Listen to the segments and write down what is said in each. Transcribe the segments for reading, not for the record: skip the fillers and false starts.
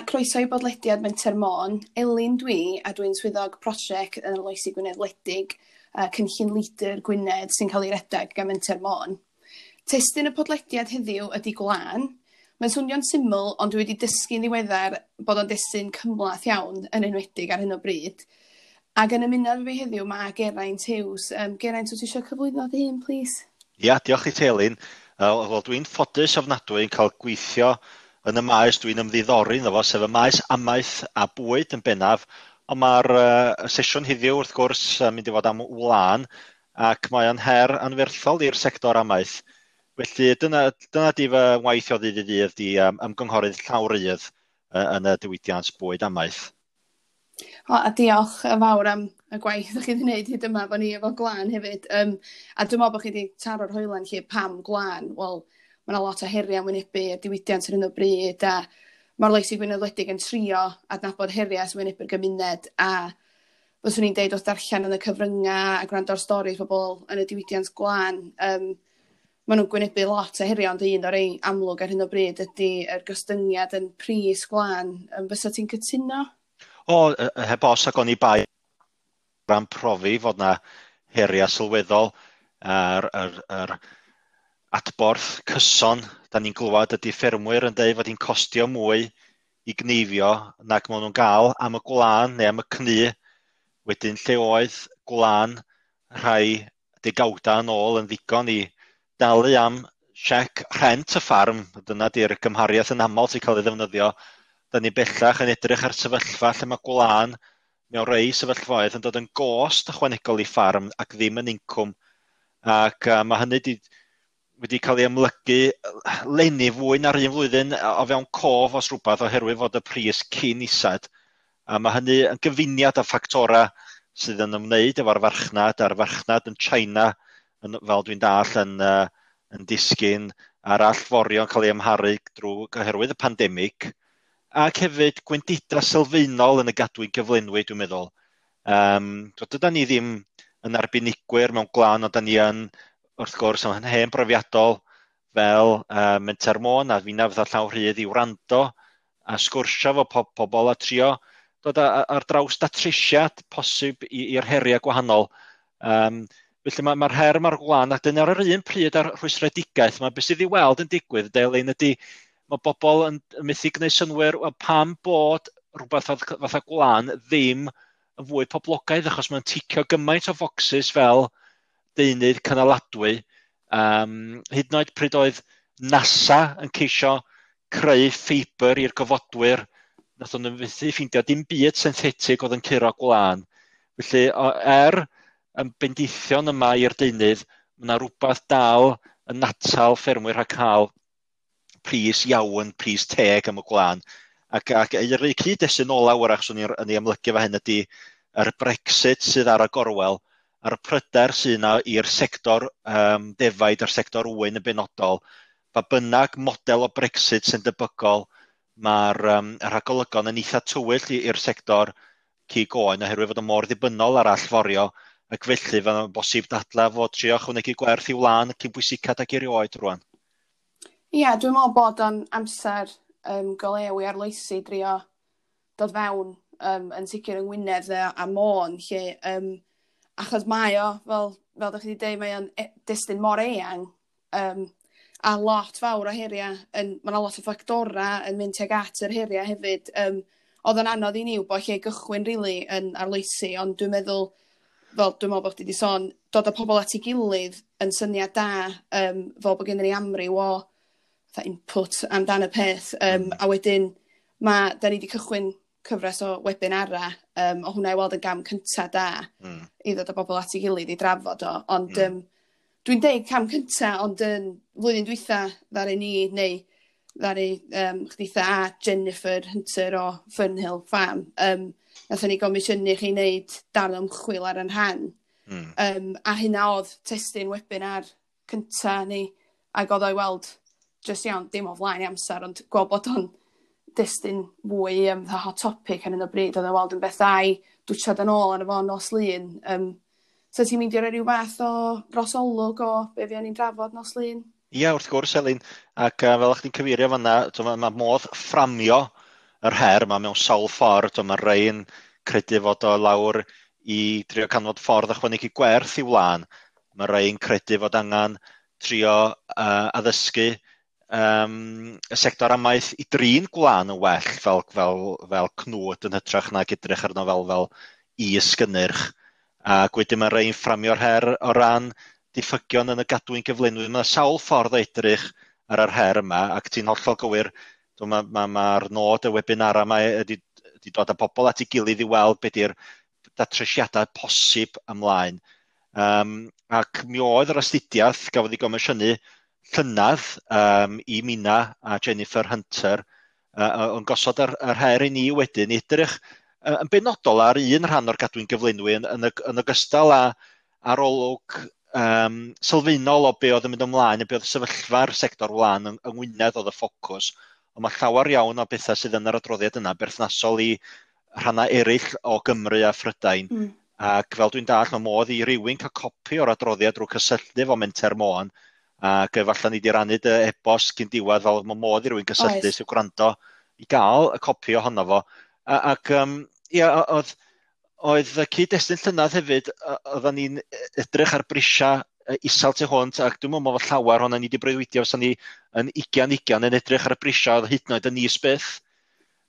croeso i bodlediad Menter Môn. Elin dwi, a dwi'n swyddog prosiect yn Arloesi Gwynedd Wledig, cynllun LEADER Gwynedd sy'n cael ei redeg gan Menter Môn. Testun y podlediad heddiw ydy gwlân. Mae'n swnio'n syml, ond dwi wedi dysgu'n ddiweddar bod o'n destun cymhleth iawn, yn enwedig ar hyn o bryd. Ac yn ymuno efo fi heddiw mae Geraint Hughes. Geraint, wyt ti eisiau cyflwyno dy hun, plîs? Ia, diolch i ti, Elin. Wel, dwi'n ffodus ofnadwy yn cael gweithio yn y maes dwi'n ymddiddori ynddo fo, sef y maes amaeth a bwyd yn bennaf, ond mae'r sesiwn heddiw wrth gwrs yn mynd i fod am wlân, ac mae o'n her anferthol i'r sector amaeth. Felly dyna di fy ngwaith o ddydd i ddydd, di ymgynghorydd llawrydd yn y diwydiant bwyd amaeth. O, a diolch yn fawr am y gwaith ydych chi wedi gwneud hyd yma efo ni efo gwlân hefyd. A dwi'n meddwl bod chi wedi taro'r hoelan lle pam gwlân. Wel, mae yna lot o heriau yn wynebu y diwydiant ar hyn o bryd, a mae'r Arloesi Gwynedd Wledig yn trio adnabod heriau sy'n wynebu'r gymuned, a fyswn i'n deud wrth darllen yn y cyfryngau a gwrando ar storis pobl yn y diwydiant gwlân, maen nhw'n gwynebu lot o heriau, ond un o'r rei amlwg ar hyn o bryd ydy yr gostyngiad yn pris gwlân. Fysa ti'n cytuno? O, heb os, ac oni bai ran profi fod na heriau sylweddol a'r yr adborth cyson da ni'n glywed ydy ffermwyr yn dweud fod hi'n costio mwy i gneifio nag maen nhw'n gael am y gwlân neu am y cnu. Wedyn lle oedd gwlân rhai degawda yn ôl yn ddigon i dalu am siec rhent y ffarm, dyna di'r gymhariaeth yn aml sy'n cael ei ddefnyddio. Da ni bellach yn edrych ar sefyllfa lle mae gwlân mewn rhai sefyllfaoedd yn dod yn gost ychwanegol i ffarm ac ddim yn incwm. Ac mae hynny wedi cael ei amlygu leni fwy na'r un flwyddyn o fewn cof os rhywbeth oherwydd fod y pris cyn isad. A mae hynny yn gyfuniad o ffactorau sydd yn ymwneud efo'r farchnad, a'r farchnad yn China, fel dwi'n dall, yn disgyn, a'r allforion cael ei amharu drwy oherwydd y pandemig, ac hefyd gwendidau sylfaenol yn y gadwyn gyflenwi, dwi'n meddwl. Dydan ni ddim yn arbenigwyr mewn gwlân, ond da ni yn, wrth gwrs, yn hen brofiadol fel Menter Môn a finna fatha llaw rhydd i wrando a sgwrsio efo pobl a trio dod ar draws datrysiad posib i'r heriau gwahanol. Felly mae'r her mae'r gwlân, a dyna ar yr un pryd ar rhwystredigaeth, mae beth sydd i weld yn digwydd, Delyn, ydy mae bobl yn methu gwneud synnwyr, wel, pam bod rhywbeth fatha gwlân ddim yn fwy poblogaidd, achos mae'n ticio gymaint o focsys fel deunydd cynaladwy. Hyd yn oed pryd oedd NASA yn ceisio creu ffeibr i'r gofodwyr, nath nhw fethu ffeindio dim byd synthetig oedd yn curo gwlân. Felly, yn bendithion yma i'r deunydd, mae yna rhywbeth dal yn atal ffermwyr rhag cael pris iawn, pris teg am y gwlân. Ac yr cyd-destun ola wrach swn i'n ei amlygu fa hyn ydy yr Brexit sydd ar y gorwel, a'r pryder sydd yna i'r sector defaid a'r sector ŵyn yn benodol. Pa bynnag model o Brexit sy'n debygol, mae'r rhagolygon yn eitha tywyll i'r sector cig oen oherwydd fod o mor ddibynnol ar allforio, ac felly mae'n bosib dadla fod trio ychwanegu gwerth i wlân cyn bwysicad ag erioed rwan. Ia, dwi'n meddwl bod o'n amser go lew i arloesi drio dod fewn yn sicr yng Ngwynedd a Môn, lle, achos mae o, fel ydych chi wedi dweud, mae o'n destun mor eang, a lot fawr o heriau, mae yna lot o ffactorau yn mynd tuag at yr heriau hefyd. Oedd o'n anodd i ni wybod lle gychwyn rili yn arloesi, ond dwi'n meddwl, fel dwi'n meddwl bod chdi wedi sôn, dod â pobl at ei gilydd yn syniad da, fel bod gennym ni amryw o fatha input amdan y peth. A wedyn, da ni wedi cychwyn cyfres o webinara, o hwnna i weld yn gam cynta da i ddod â bobl at ei gilydd i drafod o. Ond dwi'n deud cam cynta, ond yn flwyddyn dwytha ddaru ni, neu ddaru chditha a Jennifer Hunter o Fernhill Farm, nathon ni gomisiynu chi wneud darn ymchwil ar yn rhan. A hynna oedd testun webinar cynta ni, ac oedd o'i weld jyst iawn, dim o flaen i amser, ond gweld bod o'n destun fwy fatha hot topic ar hyn o bryd, oedd o'n weld yn beth da i dwtsiad yn ôl arno fo nos Lun. So ti'n mynd i roi rhyw fath o drosolwg o be fuon ni'n drafod nos Lun? Ia, wrth gwrs, Elin, ac fel o'ch chi'n cyfeirio fanna, mae modd fframio yr her yma mewn sawl ffordd. Mae rhai yn credu fod o lawr i drio canfod ffordd ychwanegu gwerth i wlân. Mae rhai yn credu fod angen trio addysgu y sector amaeth i drin gwlân yn well fel cnwd yn hytrach nag edrych arno fel is-gynnyrch. Ac wedyn mae rhai'n fframio'r her o ran diffygion yn y gadwyn gyflenwi. Mae sawl ffordd o edrych ar yr her yma, ac ti'n hollol gywir, mae'r nod y webinar yma ydy dod â pobl at ei gilydd i weld be di'r datrysiadau posib ymlaen. Ac mi oedd yr astudiaeth gafodd ei gomisiynu llynedd i Mina a Jennifer Hunter yn gosod yr her i ni wedyn i edrych yn benodol ar un rhan o'r gadwyn gyflenwi yn ogystal â arolwg sylfaenol o be oedd yn mynd ymlaen a be oedd sefyllfa'r sector wlân yng Ngwynedd oedd y ffocws. Ond mae llawer iawn o bethau sydd yn yr adroddiad yna berthnasol i rhannau eraill o Gymru a Phrydain. Ac fel dwi'n dallt, mae modd i rywun cael copi o'r adroddiad drwy cysylltu efo Menter Môn, ac efallai ni wedi rannu dy e-bost cyn diwedd, fel mae modd i rywun gysylltu sy'n gwrando i gael y copi ohono fo. Ac ia, oedd y cyd-destun llynedd hefyd, oedden ni'n edrych ar brisiau isel tu hwnt, ac dwi'n meddwl fod llawer ohonan ni wedi breuddwydio fysa ni yn 2020 yn edrych ar y brisiau oedd hyd yn oed yn is byth.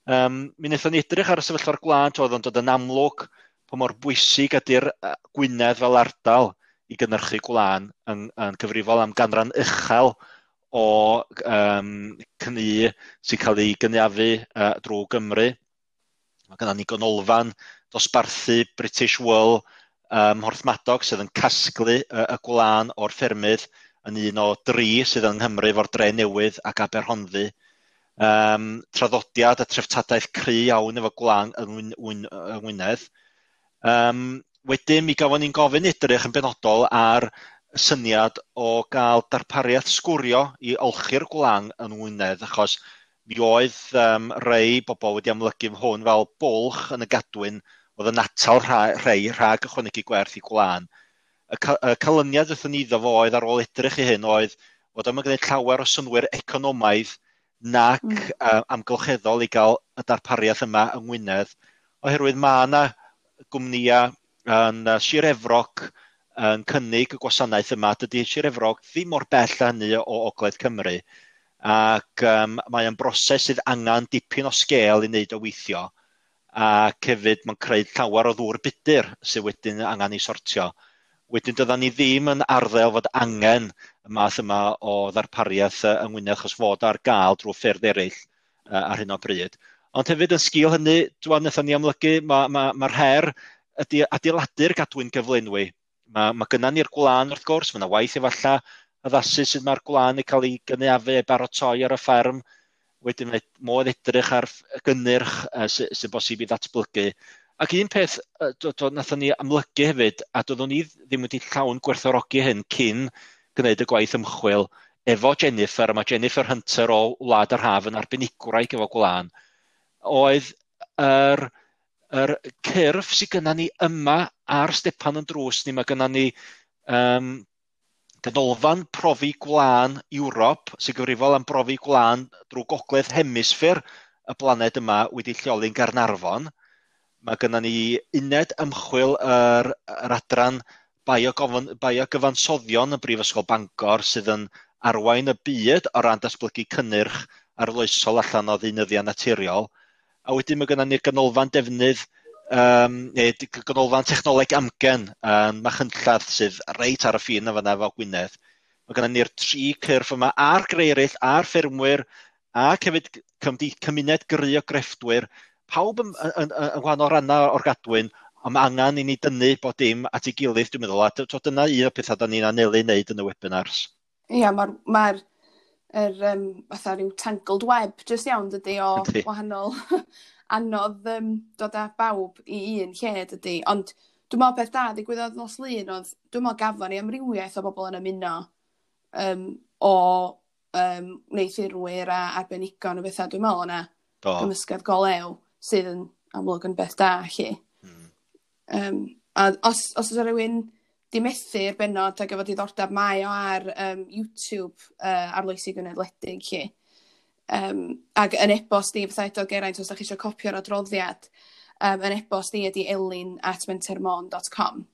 Mi wnaethon ni edrych ar y sefyllfa'r gwlad, oedd o'n dod yn amlwg pa mor bwysig ydy'r Gwynedd fel ardal i gynhyrchu gwlân yn cyfrifol am ganran uchel o cnu sy'n cael ei gynaeafu drwy Gymru. Mae gennym ni ganolfan dosbarthu British Wool Mhorthmadog sydd yn casglu y gwlân o'r ffermydd yn un o dri sydd yng Nghymru efo'r Dre Newydd ac Aberhonddu. Traddodiad a treftadaeth cry iawn efo gwlân yng Ngwynedd. Wedyn mi gafon ni'n gofyn edrych yn benodol ar y syniad o gael darpariaeth sgwrio i olchi'r gwlân yng Ngwynedd, achos mi oedd rhai bobl wedi amlygu hwn fel bwlch yn y gadwyn oedd yn atal rhai rhag ychwanegu gwerth i gwlân. Y canlyniad wrthon ni iddo fo oedd ar ôl edrych i hyn oedd fod o'm yn gwneud llawer o synnwyr economaidd nac amgylcheddol i gael y darpariaeth yma yng Ngwynedd, oherwydd mae yna gwmnïau yn Sir Efrog yn cynnig y gwasanaeth yma. Dydy Sir Efrog ddim mor bell â hynny o Ogledd Cymru, ac mae o'n broses sydd angen dipyn o sgêl i wneud o weithio, ac hefyd mae'n creu llawer o ddŵr budur sydd wedyn angen ei sortio. Wedyn dydan ni ddim yn arddel fod angen y math yma o ddarpariaeth yng Ngwynedd, achos fod ar gael drwy ffyrdd eraill ar hyn o bryd. Ond hefyd yn sgil hynny, wnaethon ni amlygu, mae'r her ydy adeiladu'r gadwyn gyflenwi. Mae gynna ni'r gwlân wrth gwrs, mae yna waith efallai addasu sut mae'r gwlân yn cael ei gynaeafu a'i baratoi ar y fferm. Wedyn mae modd edrych ar gynnyrch sy'n bosib i ddatblygu. Ac un peth wnaethon ni amlygu hefyd, a doeddwn ni ddim wedi llawn gwerthfawrogi hyn cyn gwneud y gwaith ymchwil efo Jennifer, a mae Jennifer Hunter o Wlad yr Haf yn arbenigwraig efo gwlân, oedd yr cyrff sydd gynna ni yma ar stepan yn drws ni. Mae gynna ni ganolfan profi gwlân Ewrop sy'n gyfrifol am brofi gwlân drwy gogledd hemisffer y blaned yma wedi lleoli yn Gaernarfon. Mae gynna ni uned ymchwil yr adran biogyfansoddion yn Brifysgol Bangor sydd yn arwain y byd o ran datblygu cynnyrch arloesol allan o ddeunyddiau naturiol. A wedyn mae gynna ni'r ganolfan defnydd, neu ganolfan technoleg amgen yn Machynlleth sydd reit ar y ffin yn fan'na efo Gwynedd. Mae gynna ni'r tri cyrff yma a'r greu eraill, a'r ffermwyr, ac hefyd cymuned gry o grefftwyr, pawb yn wahanol rannau o'r gadwyn, ond mae angen i ni dynnu bod dim at ei gilydd, dwi'n meddwl, a dyna un o'r pethau da ni'n anelu wneud yn y webinars. Ia, mae'r fatha rhyw tangled web jyst iawn dydy o wahanol anodd dod â bawb i un lle dydy, ond dwi'n meddwl peth da ddigwyddodd nos Lun oedd, dwi'n meddwl gafon ni amrywiaeth o bobl yn ymuno o wneuthurwyr a arbenigon o bethau, dwi'n meddwl yna gymysgedd go lew sydd yn amlwg yn beth da lly. A os oes rhywun di methu'r bennod ac efo diddordeb, mae o ar YouTube Arloesi Gwynedd Wledig lly. Ac yn e-bost i, fatha edo Geraint, os ydych chi eisiau copio'r adroddiad, yn e-bost i ydy elin@mentermon.com.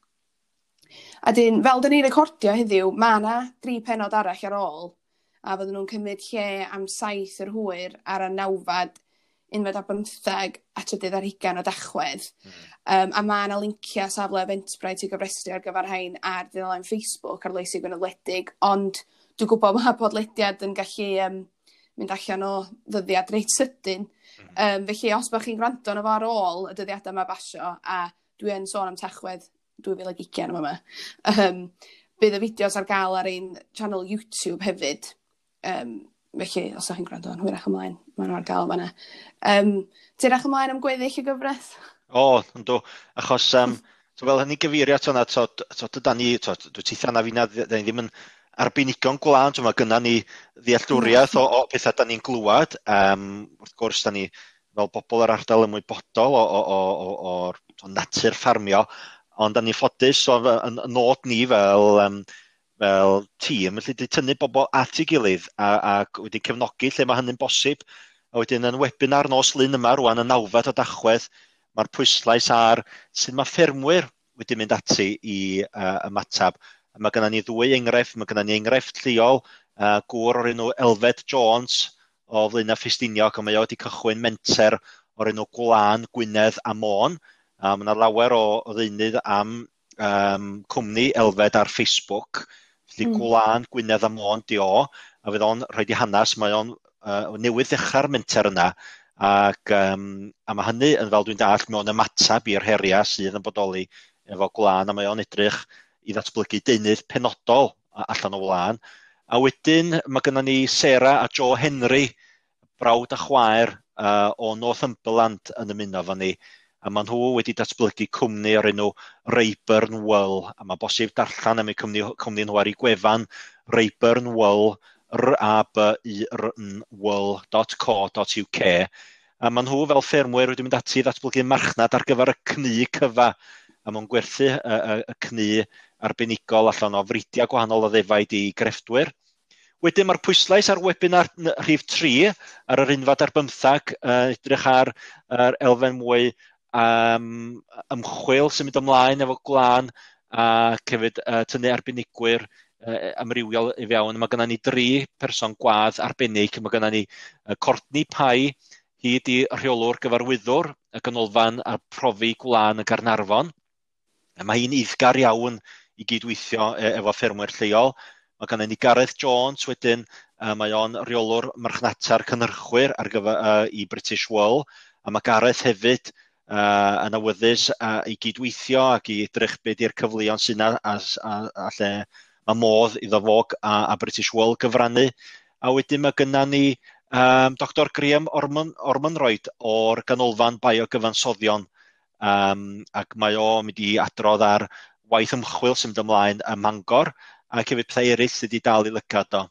A dyn, fel dyn ni'n recordio heddiw, mae yna 3 pennod arall ar ôl, a fydden nhw'n cymryd lle am 7 yr hwyr ar y 9fed, 11 a 23 o Dachwedd. A mae yna linciau safle Eventbrite i gofrestru ar gyfer rhain ar dudalen Facebook Arloesi Gwynedd Wledig, ond dwi'n gwybod mae podlediad yn gallu mynd allan o ddyddiad reit sydyn. Felly os bych chi'n gwrando arno fo ar ôl y dyddiadau yma basio, a dwi yn sôn am Tachwedd 2020 yma, bydd y fideos ar gael ar ein channel YouTube hefyd. Felly, os ydych chi'n gwrando yn hwyrach ymlaen, maen nhw ar gael fan'na. Ti'n edrych ymlaen am gweddill y gyfres? O, yndw, achos so fel hynny gyfeirio at hwnna, so, so dydan ni, so, dwi teithio na fi na, da ni ddim yn arbenigo'n gwlân, so mae gynna ni ddealltwriaeth o pethau da ni'n glwad. Wrth gwrs, da ni fel bobl yr ardal ymwybodol o'r natur ffarmio, ond da ni'n ffodus o yn nod ni fel tîm, felly wedi tynnu bobl at ei gilydd ac wedi cefnogi lle mae hynny'n bosib. A wedyn yn webinar nos Lun yma rwan, y 9fed o Dachwedd, mae'r pwyslais ar sut mae ffermwyr wedi mynd ati i ymateb. A mae gennym ni ddwy enghraifft, mae gennym ni enghraifft lleol, gŵr o'r enw Elfed Jones o Flaenau Ffestiniog, a mae o wedi cychwyn menter o'r enw Gwlân Gwynedd a Môn. A mae yna lawer o ddeunydd am cwmni Elfed ar Facebook. Felly Gwlân Gwynedd a Môn di o, a fydd o'n rhoi di hanes, mae o'n newydd ddechrau'r menter yna, ac a mae hynny yn, fel dwi'n dallt, mewn ymateb i'r heriau sydd yn bodoli efo gwlân, a mae o'n edrych i ddatblygu deunydd penodol allan o wlân. A wedyn mae gennym ni Sarah a Joe Henry, brawd a chwaer o Northumberland yn ymuno efo ni, a maen nhw wedi datblygu cwmni o'r enw Rayburn Wool, a mae bosib darllen am eu cwmni nhw ar eu gwefan Rayburn Wool, R-A-B-U-R-N wool.co.uk. A maen nhw fel ffermwyr wedi mynd ati i ddatblygu marchnad ar gyfer y cnu cyfa, a maen gwerthu y cnu arbenigol allan o fridiau gwahanol o ddefaid i grefftwyr. Wedyn mae'r pwyslais ar webinar rhif 3 ar yr 11, edrych ar yr elfen mwy ymchwil sy'n mynd ymlaen efo gwlân, a hefyd tynnu arbenigwyr amrywiol i fewn. Mae gennym ni 3 person gwadd arbennig. Mae gennym ni Courtney Pye, hi di rheolwr gyfarwyddwr y ganolfan a profi gwlân y Gaernarfon. A mae hi'n eiddgar iawn i gydweithio efo ffermwyr lleol. Mae gennym ni Gareth Jones wedyn, mae o'n rheolwr marchnata'r cynhyrchwyr ar gyfer i British Wool, a mae Gareth hefyd yn awyddus i gydweithio ac i edrych be di'r cyfleon sydd yna a lle mae modd iddo fo a British Wool gyfrannu. A wedyn mae gynna ni Dr Graham Ormonroyd o'r Ganolfan Biogyfansoddion, ac mae o'n mynd i adrodd ar waith ymchwil sy'n mynd ymlaen ym Mangor, ac hefyd pethau eraill sydd wedi dal i lygad o.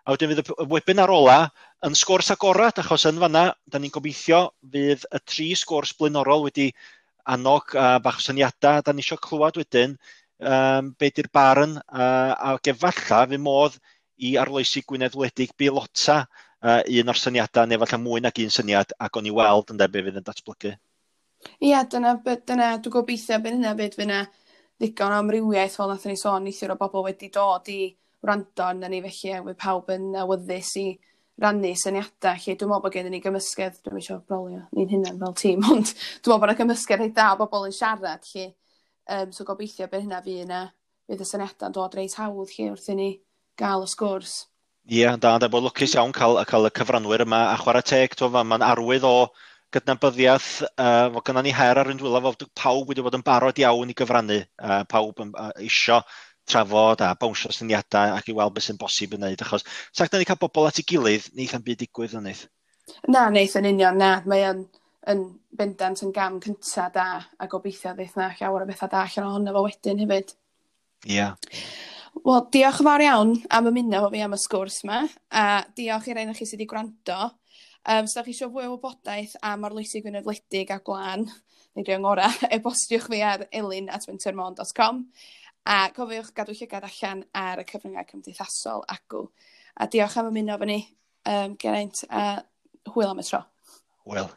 A wedyn fydd y webinar ola yn sgwrs agorad, achos yn fanna, da ni'n gobeithio fydd y 3 sgwrs blaenorol wedi annog bach o syniadau, da ni eisiau clywed wedyn be di'r barn, ac efallai fydd modd i Arloesi Gwynedd Wledig beilota un o'r syniadau, neu efallai mwy nag un syniad, ac o'n i weld ynde be fydd yn datblygu. Ia, dyna dwi'n gobeithio bydd hynna fyd, fydd yna ddigon o amrywiaeth, fel nathon ni sôn neithiwr o bobl wedi dod i wrando arnon ni, felly fydd pawb yn awyddus i rannu syniadau. Lle dwi'n meddwl bod gennym ni gymysgedd, dwi'm isio brolio ni'n hunan fel tîm, ond dwi'n meddwl bod yna gymysgedd reit dda o bobl yn siarad, lle. So gobeithio bydd hynna fydd yna, fydd y syniadau'n dod reit hawdd lle wrth i ni gael y sgwrs. Ie, da, bod lwcus iawn cael y cyfranwyr yma, a chwarae teg, mae'n arwydd o gydnabyddiaeth, fod gynnon ni her ar ein dwylo, fod pawb wedi bod yn barod iawn i gyfrannu, pawb yn isio trafod a bownsio syniadau ac i weld beth sy'n bosib yn wneud, achos sa chdi'n cael bobl at ei gilydd, neith am byd digwydd yn neith. Na, neith yn union, na, mae yn bendant yn gam cynta da, a gobeithio ddeith na llawer o bethau da allan ohono fo wedyn hefyd. Ie. Wel, diolch yn fawr iawn am ymuno efo fi am y sgwrs yma, a diolch i'r un o chi sydd wedi gwrando. Os da chi eisiau fwy o wybodaeth am Arloesi Gwynedd Wledig a Gwlân, neu dwi ngorau, e-bostiwch fi ar elin@mentermon.com. A cofiwch gadw llygad allan ar y cyfryngau cymdeithasol acw. A diolch am ymuno efo ni. Geraint, a hwyl am y tro. Hwyl.